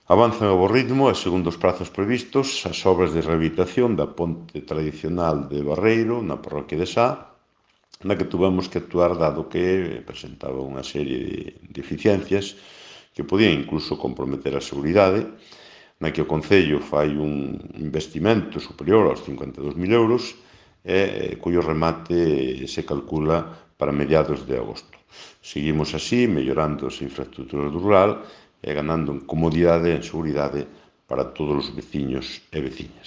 Avanzan a bo ritmo e, segundo os prazos previstos, as obras de rehabilitación da ponte tradicional de Barreiro, na parroquia de Sá, na que tuvemos que actuar dado que presentaba unha serie de deficiencias que podían incluso comprometer a seguridade, na que o Concello fai un investimento superior aos 52.000 euros e cuyo remate se calcula para mediados de agosto. Seguimos así, mellorando as infraestructuras do rural e ganando en comodidade e en seguridade para todos os veciños e veciñas.